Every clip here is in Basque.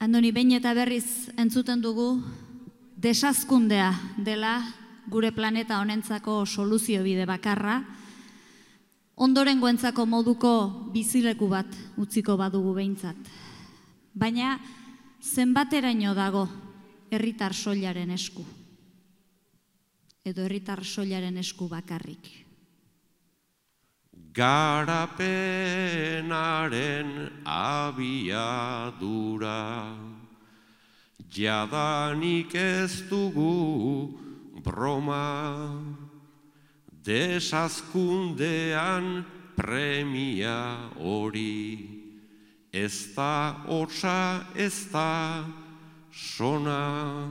Andoni, behin eta berriz entzuten dugu desazkundea dela gure planeta honentzako soluzio bide bakarra, ondorengoentzako moduko bizileku bat utziko badugu behintzat. Baina zenbateraino dago herritar soilaren esku? Edo herritar soilaren esku bakarrik? Garapenaren abiadura, jadanik ez dugu broma, desazkundean premia hori, ez da hotza, ez da sona,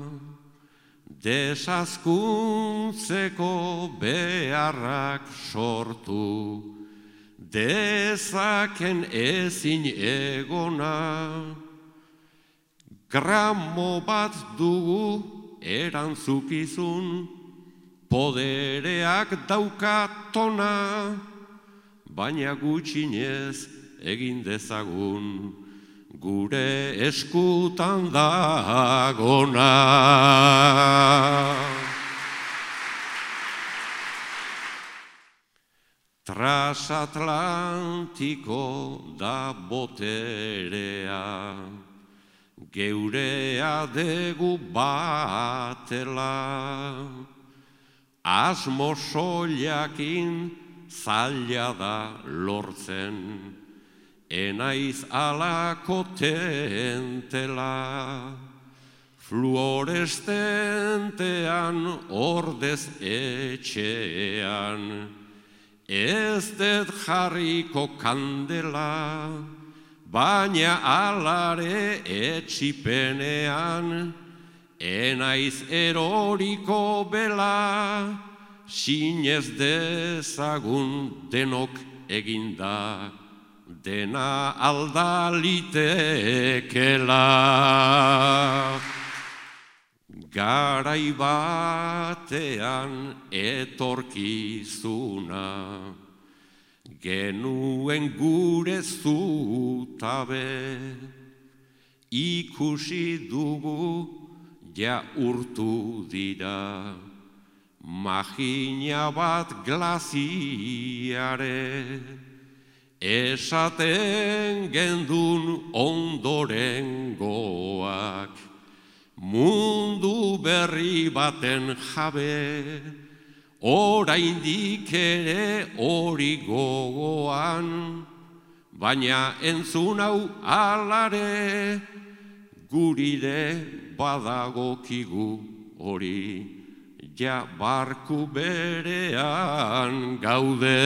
desazkuntzeko beharrak sortu, dezaken ezin egona, gramo bat dugu erantzukizun, podereak daukatona, baina gutxinez egin dezagun, gure eskutan dagona. Transatlantiko da boterea, geurea degu batela, asmo soilakin zaila da lortzen, enaiz alako tentela, fluorestentean ordez etxean, ez dut jarriko kandela, baina alare etxipenean, enaiz eroriko bela, sinez dezagun denok eginda, dena aldalitekela. Garai batean etorkizuna, genuen gure zutabe, ikusi dugu ja urtu dira, magina bat glaziare, esaten gendun ondorengoak, mundu berri baten jabe, oraindik ere hori gogoan, baina entzun hau alare, gurire badagokigu hori, ja barku berean gaude.